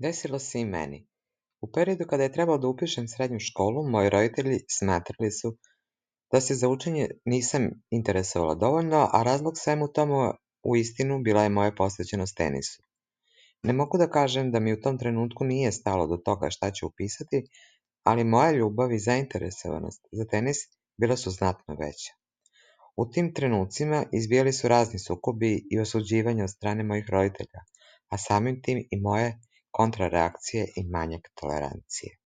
Desilo se i meni. U periodu kada je trebalo da upišem srednju školu, moji roditelji smatrali su da se za učenje nisam interesovala dovoljno, a razlog svemu tomu uistinu bila je moja posvećenost tenisu. Ne mogu da kažem da mi u tom trenutku nije stalo do toga šta ću upisati, ali moja ljubav i zainteresovanost za tenis bila su znatno veća. U tim trenucima izbijali su razni sukobi i osuđivanja od strane mojih roditelja, a samim tim i moje kontrareakcije i manjak tolerancije.